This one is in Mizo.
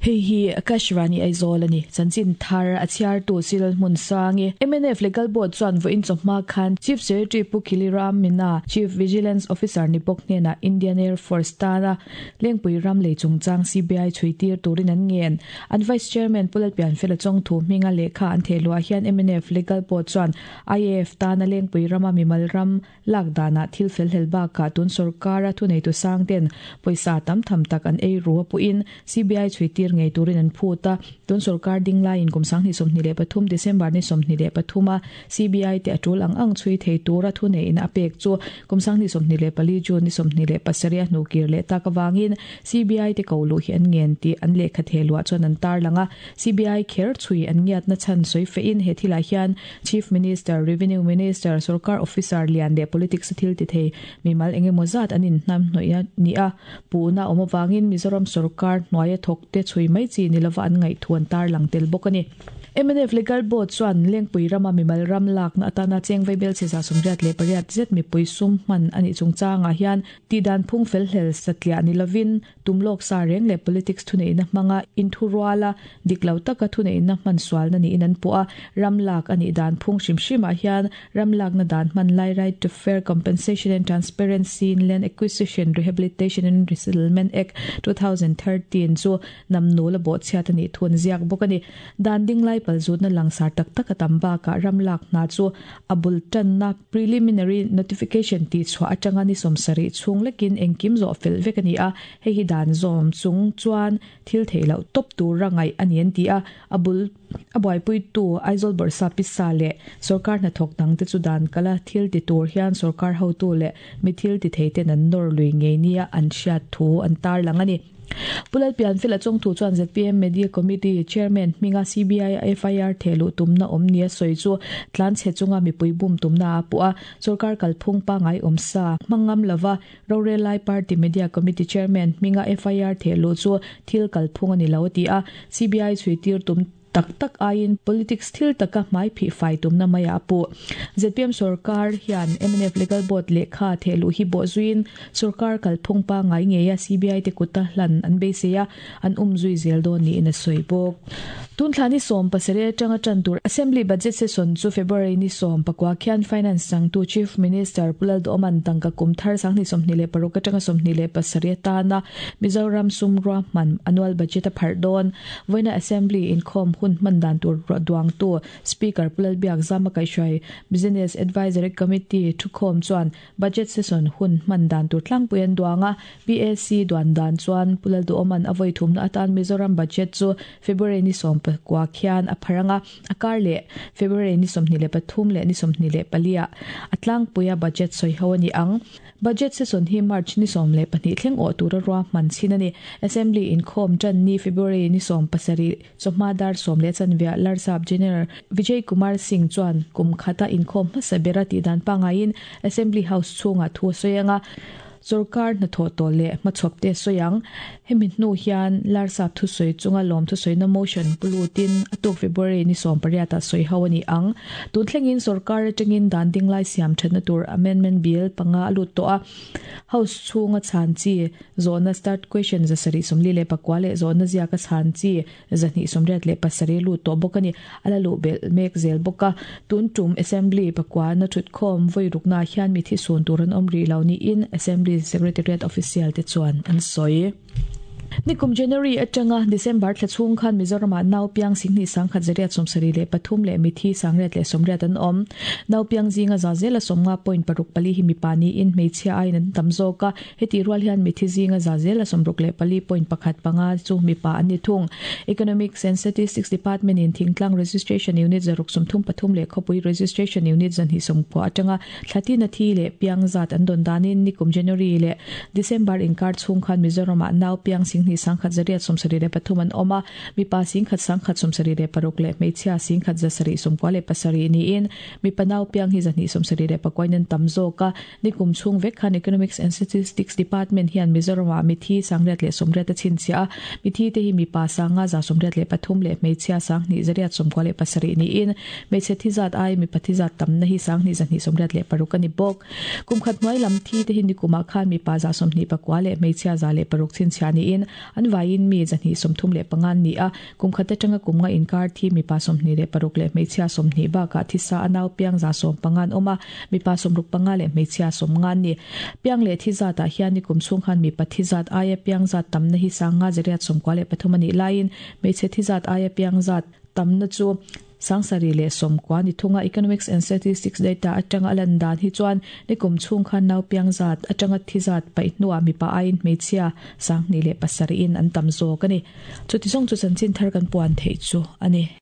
Hei hi Akashvani Aizawl a ni. Chanchin thar a chhiartu Cyril Hmunsangi, mnf Legal Board chuan vawiin chawhma khan Chief Secretary Pu Khili Ram Meena, Chief Vigilance Officer ni bawk hnenah Indian Air Force tana Lengpui ram lei chungchang CBI chhui tir turin an ngen. An Vice Chairman Pu Lalpianfela Chawngthu hminga lehkha an theh luah hian mnf Legal Board chuan IAF tana Lengpui rama mimal ram Lak danah thil fel hlel bakah tun sorkara thuneitu sang ten pawisa tam tham tak an ei ru a puhin CBI chhui tir ngei turin an phut a. Tun sorkar ding laiin kum 2023 December ni 23 a CBI te a tul ang ang chhui thei tura thuneiin a pek chu kum 2024 June ni 27 a hnukir leh tak avangin CBI te ko luh hi an ngen tih an lehkha theh luah chuan an tarlang a. CBI kher chhui an ngiatna chhan sawi fehin he thilah hian Chief Minister, Revenue Minister, Sorkar Officer lian leh Politics a thil ti thei mimal eng emaw zat an inhnam hnawih a ni a, puhna awm avangin Mizoram sorkar hnuaia thawkte chhui mai chi ni lova an ngaihthu an tarlang tel bawk a ni. Mnf Legal Board chuan Lengpui rama mimal ram lakna atana cheng vaibel chhe 78 zet mipui sum hman a nih chungchangah hian tihdan phung felhlel satliah ni lovin Tum lawk sa reng leh politics thuneihna hmanga inthuruala dik lo taka thuneihna hman sualna niin an puh a, ram lak a nih dan phung hrim hrimah hian ram lakna dan hman lai Right to Fair Compensation and Transparency in Land Acquisition, Rehabilitation and Resettlement Act, 2013 chu namnul a bawhchhiat a nih thu an ziak bawk a ni. Dan dinglai palzutna langsar tak tak a tam bakah ram lak hna chu a bul tanna Preliminary Notification tih chhuah atanga ni 70 chhung lekin engkim zawh fel vek a ni a, hei hi dan zawm chung chuan thil theih loh tawp tura ngaih a ni an ti a, a bul a buaipuitu Aizawl Bawrhsa Pisa leh sawrkar hnathawk dangte chu dan kala thil ti tur hian sawrkar hotu leh mi thil ti theiten an nawr lui ngei nia an hriat thu an tarlang a ni. Pu Lalpianfela chawngthu chuan zpm Media Committee Chairman hminga CBI a FIR thehluh tumna awm nia sawi chu tlanchhe chunga mipui bum tumna a puh a, sorkar kalphung pangngai awm sa hmang ngam lova rorel lai party Media Committee Chairman hminga FIR thehluh chu thil kalphung a ni lo a ti a, CBI chhuitir tum Tak tak aiin politics thil taka hmai phih fai tumna maiah a puh. Zpm sorkar hian mnf Legal Board lehkha thehluh hi bawh zuiin sorkar kalphung pangngai ngeia CBI te kuta hlan an beisei a, an um zui zel dawn niin a sawi bawk. Tun thla ni 17 atanga tan tur Assembly Budget Session chu February ni 19 khian Finance changtu Chief Minister Pu Lalduhawman tangka kum thar 2026 atanga 27 atana Mizoram sum ruahman annual budget a pharh dawn. Vawiina Assembly inkhawm hun hman dan tur duangtu Speaker Pu Lalbiak Zama Kaihhruai Business Advisory Committee thukhawm chuan Budget Session hun hman dan tur tlangpui an duang a, PAC duan dan chuan Pu Lalduhawman a vawi thumna atan Mizoram Budget chu February ni 19 khian a phar ang a, a kar leh February ni 23 leh ni 24 ah a tlangpuia Budget sawiho a ni ang. Budget session hi March ni 12 thleng awh tura ruahman chhin a ni. Assembly inkhawm tan ni February ni 17 chawhma dar sawm leh chanveah Larsap General Vijay Kumar Singh chuan kum khata inkhawm hmasa bera tihdan pangaiin Assembly House chhungah thu a sawi ang a, sawrkar hnathawh tawh leh hmachhawp te a sawi ang. Hemi hnu hian Larsap thusawi chunga lawm thusawina motion pu lutin a tuk February ni 18 ah sawi ho a ni ang. Tun thlengin sawrkar atangin dan dinglai siam thatna tur Amendment Bill panga a lut tawh a. House chhunga chhan chi zawhna Start Question 749 leh zawhna ziaka chhan chi 287 lut tawh bawk a ni. A la luh belh mek zel bawk a. Tun tum Assembly pakuana thutkhawm vawi ruknaah hian mi thisun tur an awm rih lo niin Assembly Secretariat official te chuan an sawi. Nikum January atanga December thla chhung khan Mizoramah nau piang singhnih sangkhat zariat 73 leh mithi 180 an awm. Nau piang zinga za zela 50 point paruk pali hi mipa niin hmeichhia aiin an tam zawk a. Hetih rual hian mithi zinga za zela 64 point pakhat panga chu mipa an ni thung. Economics and Statistics Department in Thingtlang Registration Unit 633 leh Khawpui Registration Unit 290 atanga Thlatin a thi leh piang zat an dawn danin nikum January leh December inkar chhung khan Mizoramah nau piang singhnih sangkhat 173 an awm a, mipa singkhat sangkhat 76 leh hmeichhia singkhat 797 niin mipa nau piang hi 279 in an tam zawk a. Nikum chhung vek khan Economics and Statistics Department hian Mizoramah mithi 180 a chhinchhiah a, mithi te hi mipa sanga 83 leh hmeichhia sanghnih 97 niin Hmeichhe thi zat ai mipa thi zat tamna hi 2226 a ni bawk. Kum khat hnuai lam thi te hi nikumah khan mipa 29 leh hmeichhia 106 chhinchhiah niin. an vaiin mi 235 an ni a, kum khat atanga kum nga inkar thi mipa 26 leh hmeichhia 20 bakah thisa a nau piang 115 an awm a, mipa 65 leh hmeichhia 50 an ni. Piang leh thi zatah hian nikum chhung khan mipa thi zat aia piang zat tamna hi 5,093 a nih laiin hmeichhe thi zat aia piang zat tamna chu 790 ni thunga. Economics and Statistics data atanga a lan dan hi chuan nikum chhung khan nau piang zat atanga thi zat paih hnuah mipa aiin hmeichhia 2,007 in an tam zawk a ni. Chuti zawng chu chanchin thar kan puan theih chu a ni.